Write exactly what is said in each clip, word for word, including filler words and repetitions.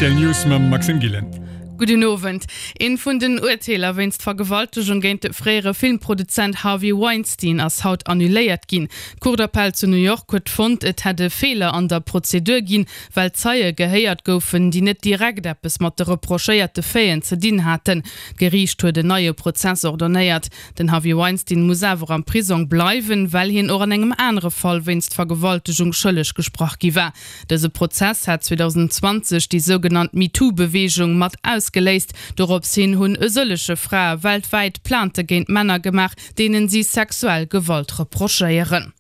R T L News mam Maxime Gillen. Gudden Owend. Eent vun den Urteeler wéinst Vergewaltegung géint de fréiere Filmproduzent Harvey Weinstein ass haut annuléiert ginn. D'Cour d'appel zu New York huet fonnt, et hätt e Feeler an der Prozedur ginn, well Zeie gehéiert goufen, déi net direkt eppes mat de reprochéierte Faiten ze dinn haten. D'Geriicht huet en neie Prozess ordonéiert. Den Harvey Weinstein muss awer am Prisong bleiwen, well hien och an engem anere Fall wéinst Vergewaltegung schëlleg gesprach gi war. Dëse Prozess hat zweedausendzwanzeg déi sougenannt MeToo-Beweegung mat ausgeléist. Dorops hin hunn e sëllege Frae weltwäit Plainte géint Männer gemaach, deenen si sexuell Gewalt reprochéieren.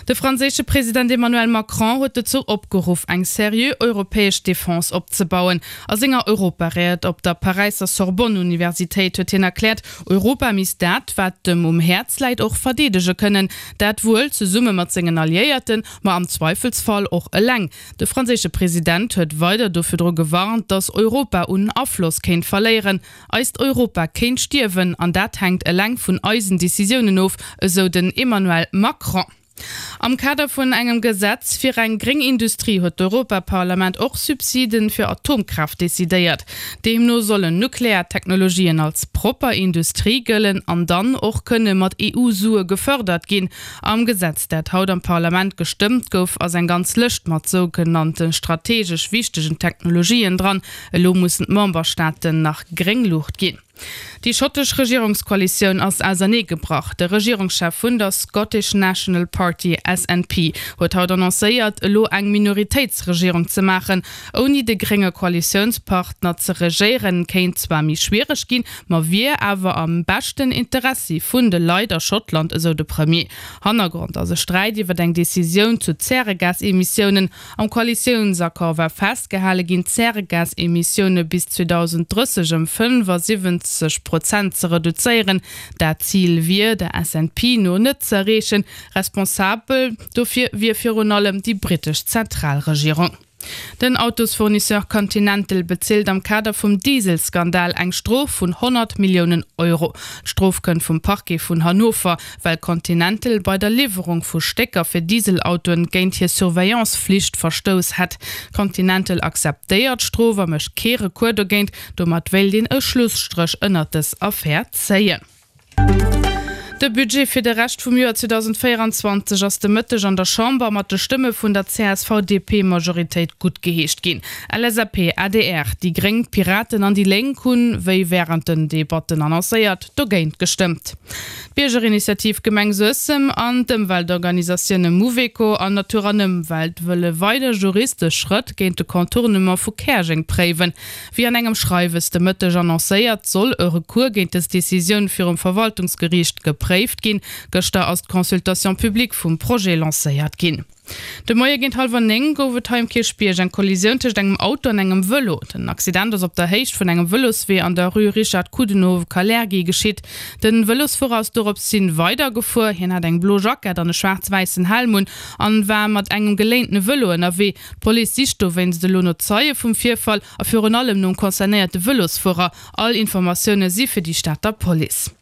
De franséische President Emmanuel Macron huet dozou opgeruff, eng seriö europäesch Defense opzebauen. A senger Europaried op der Paräisser Sorbonne-Universitéit huet hien erkläert, Europa misst dat, wat em um Häerz läit, och verdeedege kënnen. Dat wuel zesumme mat sengen Alliéierten, ma am Zweifelsfall och eleng. De franséische President huet weider do virdru gewarnt, datt Europa un Afloss kéint verléieren. Eist Europa kéint stierwen an dat hänkt eleng vun eisen Decisiounen of, esou den Emmanuel Macron. Am Kader vun engem Gesetz fir eng gréng Industrie huet d'Europaparlament och Subsiden fir Atomkraaft decidéiert. Deemno sollen nuklear Technologien als propper Industrie gëllen an dann och kënne mat E U-Sue gefërdert ginn. Am Gesetz, dat haut am Parlament gestëmmt gouf, ass eng ganz Lëscht mat sougenannte strategesch wichtegen Technologien dran. Elo mussen d'Memberstaaten nach gréng Luucht ginn. Déi schottesch Regierungskoalitioun ass auserneegebrach. De Regierungschef vun der Scottish National Party, S N P, huet haut annoncéiert, elo eng Minoritéitsregierung ze maachen. Ouni de grénge Koalitiounspartner ze regéieren, kéint zwar méi schwiereg ginn, ma wier awer am beschten Interessi vun de Leit a Schottland, esou de Premier. Hannergrond ass e Sträit iwwer eng Decisioun zu Zäregasemissiounen. Am Koalitiounsaccord war festgehale ginn, d'Zäregasemissioune bis zweedausenddrësseg ëm fënnefasiwwenzeg Prozent ze reduzéieren. Dat Zil wier der S N P no net ze erreechen. Responsabel dofir wier virun allem déi brittesch Zentralregierung. Den Autosfournisseur Continental bezilt am Kader vum Dieselskandal eng Strof vun honnert Milliounen Euro. D'Strof kënnt vum Parquet vun Hannover, well Continental bei der Liwwerung vu Stécker fir Dieselautoen géint hir Surveillance-Flicht verstouss hätt. Continental akzeptéiert d'Strof a mécht kee Recours dogéint. Domat wéilt een e Schlusstréch ënnert dës Affär zéien. De Budget fir de Rescht vum Joer zweedausendvéieranzwanzeg ass de Mëtteg an der Chamber mat de Stëmme vun der C S V D P-Majoritéit guttgeheescht ginn. L S A P, A D R, déi Gréng, d'Piraten an déi Lénk hunn, wéi wärend den Debatten annoncéiert, dogéint gestëmmt. D'Biergerinitiativ Gemeng Suessem an d'Ëmweltorganisatioune Mouveco an Natur an Ëmwelt wëlle weider juristesch Schrëtt géint de Contournement vu Käerjeng préiwen. Wéi an engem Schreiwes de Mëtteg annoncéiert, soll e Recours géint des Decisioun virum Verwaltungsgeriicht gepréift ginn. Gëschter ass d'Consultation publique vum Projet lancéiert ginn. De Moie géint hallwer néng gouf et hei um Kierchbierg eng Kollisioun tëscht engem Auto an engem Vëlo. Den Accident ass op der Héicht vun engem Vëloswee an der Rue Richard Coudenhove-Kalergi geschitt. De Vëlosfuerer ass dorops hin weidergefuer. Hien hat eng blo Jackett an e schwaarz-wäissen Helm un an war mat engem geléintene Vëlo ënnerwee. D'Police sicht dowéinst elo no Zeie vum Virfall a virun allem nom concernéierte Vëlosfuerer. All Informatioune si fir déi Stater Police.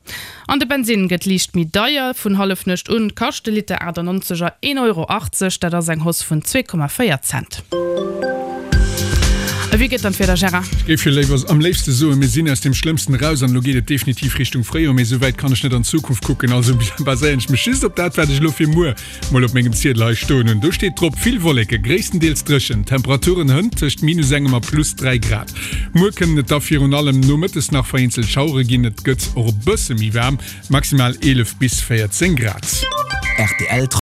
An de Bensinn gëtt liicht méi deier. Vun Hallefnuecht un kascht de Liter achtannonzeger een Euro achtzeg, dat ass eng Hausse vun zwee Komma véier Cent. A wéi gëtt dann d'Wieder, Gérard? Ech géif jo léiwer am léifste soen, mir sinn aus dem Schlëmmsten eraus an elo geet et definitiv Richtung Fréijoer, mee esou wäit kann ech net an d'Zukunft kucken, also baséieren ech mech just op dat, wat ech elo fir muer mol op mengem Ziedel hei stoen hunn. Do steet drop, vill Wolleke, gréisstendeels dréchen, Temperaturen hënt tëscht minus engem a plus dräi Grad. Muer kënnen et da virun allem nomëttes nach vereenzelt Schauere ginn, et gëtt och e bësse méi waarm, maximal eelef bis véierzéng Grad. R T L.